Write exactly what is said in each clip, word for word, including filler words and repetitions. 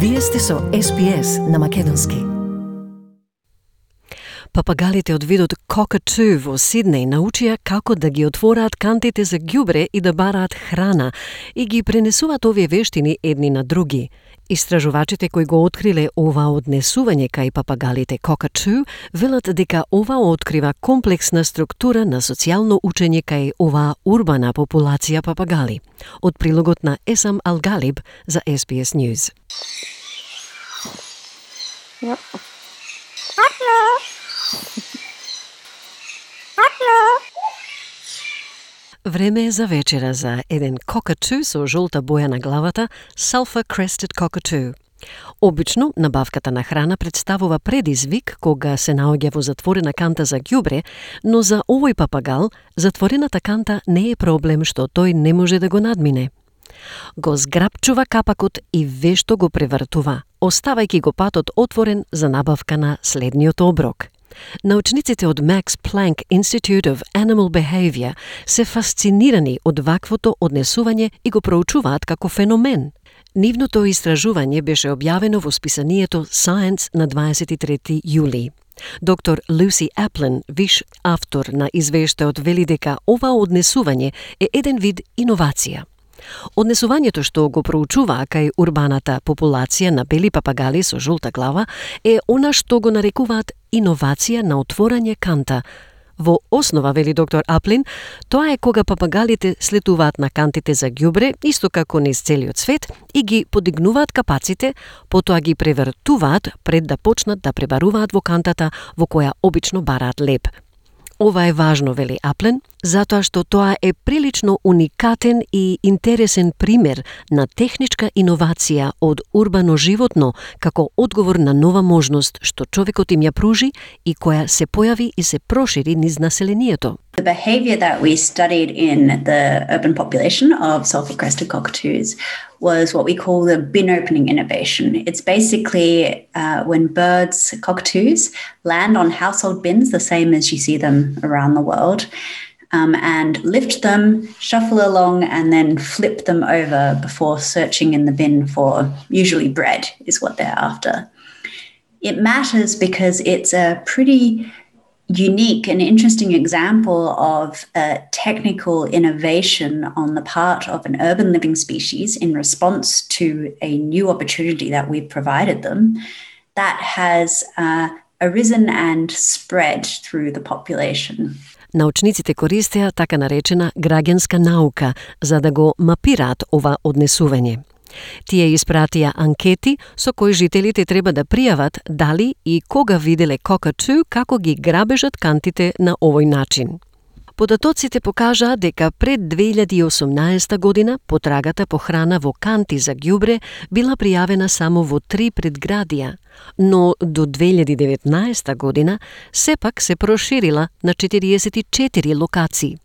Вие сте со Ес Би Ес на македонски. Папагалите од видот cockatoo во Сиднеј научија како да ги отвораат кантите за ѓубре и да бараат храна и ги пренесуваат овие вештини едни на други. Истражувачите кои го откриле ова однесување кај папагалите cockatoo велат дека ова открива комплексна структура на социјално учење кај оваа урбана популација папагали. Од прилогот на Есам Алгалиб за Ес Би Ес News. Yep. Време е за вечера за еден cockatoo со жолта боја на главата, Sulphur Crested Cockatoo. Обично, набавката на храна представува предизвик кога се наоѓа во затворена канта за ѓубре, но за овој папагал, затворената канта не е проблем што тој не може да го надмине. Го зграпчува капакот и вешто го превртува, оставајќи го патот отворен за набавка на следниот оброк. Научниците од Max Planck Institute of Animal Behavior се фасцинирани од ваквото однесување и го проучуваат како феномен. Нивното истражување беше објавено во списанието Science на дваесет и трети јули. Доктор Люси Аплин, виш автор на извештајот, вели дека ова однесување е еден вид иновација. Однесувањето што го проучуваа кај урбаната популација на бели папагали со жолта глава е она што го нарекуваат иновација на отворање канта. Во основа, вели доктор Аплин, тоа е кога папагалите слетуваат на кантите за ѓубре, исто како низ целиот свет, и ги подигнуваат капаците, потоа ги превртуваат пред да почнат да пребаруваат во кантата во која обично бараат леб. Ова е важно, вели Аплен, затоа што тоа е прилично уникатен и интересен пример на техничка иновација од урбано животно како одговор на нова можност што човекот им ја пружи и која се појави и се прошири низ населението. The behavior that we studied in the urban population of sulphur-crested cockatoos was what we call the bin opening innovation. It's basically uh, when birds, cockatoos, land on household bins, the same as you see them around the world, um, and lift them, shuffle along, and then flip them over before searching in the bin for usually bread is what they're after. It matters because it's a pretty unique and interesting example of a technical innovation on the part of an urban living species in response to a new opportunity that we've provided them that has uh, arisen and spread through the population. Научниците користеа така наречена граѓанска наука за да го мапираат ова однесување. Тие испратија анкети со кои жителите треба да пријават дали и кога виделе cockatoo како ги грабежат кантите на овој начин. Податоците покажаа дека пред две илјади и осумнаесета година потрагата по храна во канти за ѓубре била пријавена само во три предградија, но до две илјади и деветнаесета година сепак се проширила на четириесет и четири локации.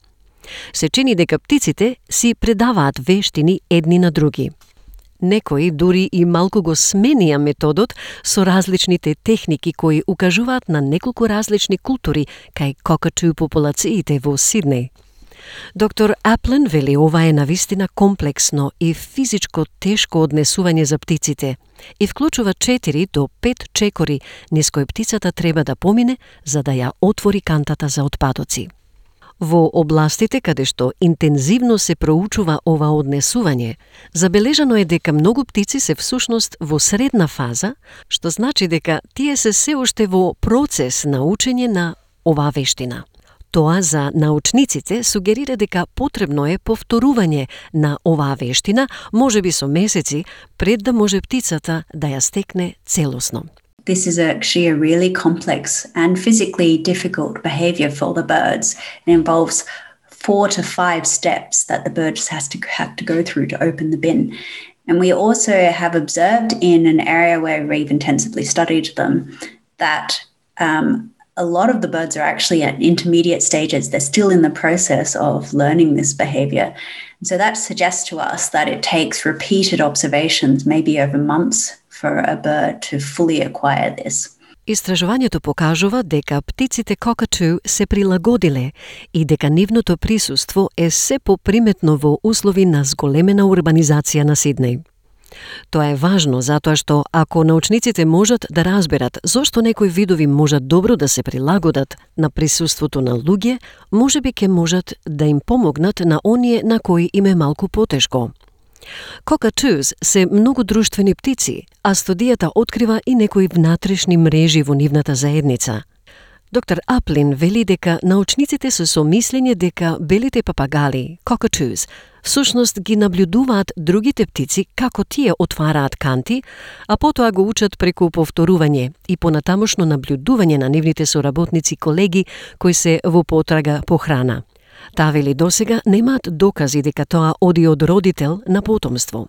Се чини дека птиците си предаваат вештини едни на други. Некои дури и малку го сменија методот со различните техники кои укажуваат на неколку различни култури кај cockatoo популациите во Сиднеј. Доктор Аплен вели ова е навистина комплексно и физичко тешко однесување за птиците и вклучува четири до пет чекори низ кои птицата треба да помине за да ја отвори кантата за отпадоци. Во областите каде што интензивно се проучува ова однесување, забележано е дека многу птици се всушност во средна фаза, што значи дека тие се се уште во процес на учење на оваа вештина. Тоа за научниците сугерира дека потребно е повторување на оваа вештина, можеби со месеци, пред да може птицата да ја стекне целосно. This is actually a really complex and physically difficult behavior for the birds. It involves four to five steps that the bird just has to have to go through to open the bin. And we also have observed in an area where we've intensively studied them that um, a lot of the birds are actually at intermediate stages. They're still in the process of learning this behavior. And so that suggests to us that it takes repeated observations, maybe over months, for a bird to fully acquire this. Истражувањето покажува дека птиците cockatoo се прилагодиле и дека нивното присуство е се поприметно во услови на зголемена урбанизација на Сиднеј. Тоа е важно затоа што ако научниците можат да разберат зошто некои видови можат добро да се прилагодат на присуството на луѓе, можеби ќе можат да им помогнат на оние на кои им е малку потешко. Cockatoos се многу друштвени птици, а студијата открива и некои внатрешни мрежи во нивната заедница. Доктор Аплин вели дека научниците се со мислење дека белите папагали, cockatoos, всушност ги наблюдуваат другите птици како тие отвараат канти, а потоа го учат преку повторување и понатамошно наблюдување на нивните соработници колеги кои се во потрага по храна. Таа вели досега немаат докази дека тоа оди од родител на потомство.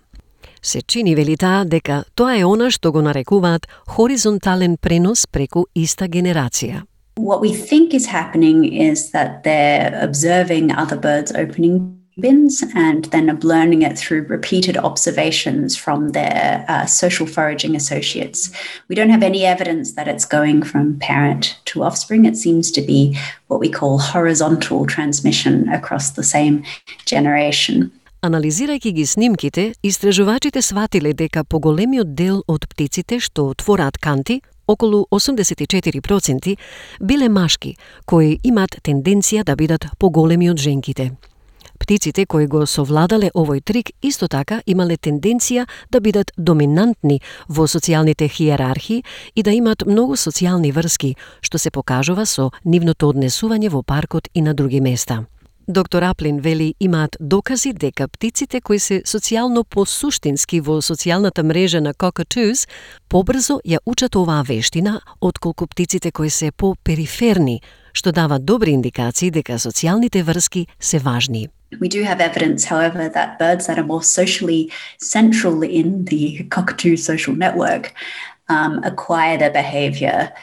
Се чини, вели таа, дека тоа е она што го нарекуваат хоризонтален пренос преку иста генерација. What we think is happening is that they're observing other birds opening bins and then learning it through repeated observations from their uh, social foraging associates. We don't have any evidence that it's going from parent to offspring. It seems to be what we call horizontal transmission across the same generation. Анализирајќи ги снимките, истражувачите сватиле дека поголемиот дел од птиците што отвораат канти, околу осумдесет и четири проценти, биле машки, кои имаат тенденција да бидат поголеми од женките. Птиците кои го совладале овој трик исто така имале тенденција да бидат доминантни во социјалните хиерархии и да имаат многу социјални врски, што се покажува со нивното однесување во паркот и на други места. Доктор Аплин вели имаат докази дека птиците кои се социјално посуштински во социјалната мрежа на cockatoos побрзо ја учат оваа вештина отколку птиците кои се по-периферни, што дава добри индикации дека социјалните врски се важни. We do have evidence, however, that birds that are more socially central in the cockatoo social network um, acquire their behavior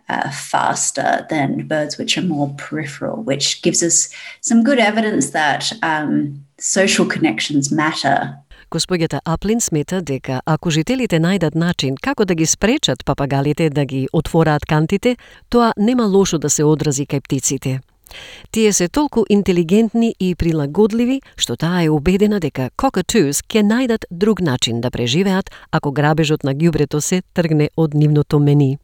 uh, faster than birds which are more peripheral, which gives us some good evidence that um, social connections matter. Госпоѓата Аплин смета дека ако жителите најдат начин како да ги спречат папагалите да ги отвораат кантите, тоа нема лошо да се одрази кај птиците. Тие се толку интелигентни и прилагодливи, што таа е убедена дека cockatoos ќе најдат друг начин да преживеат ако грабежот на ѓубрето се тргне од нивното мени.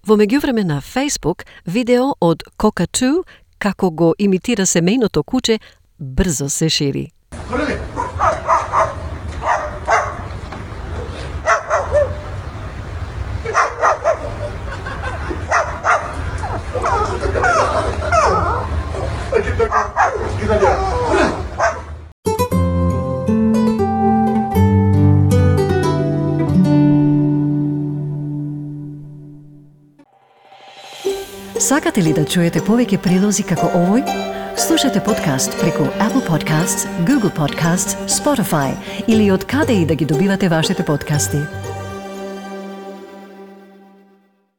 Во меѓувреме на Facebook, видео од cockatoo како го имитира семејното куче брзо се шири. Сакате ли да чуете повеќе прилози како овој? Слушате подкаст преку Apple Podcasts, Google Podcasts, Spotify или од каде и да ги добивате вашите подкасти.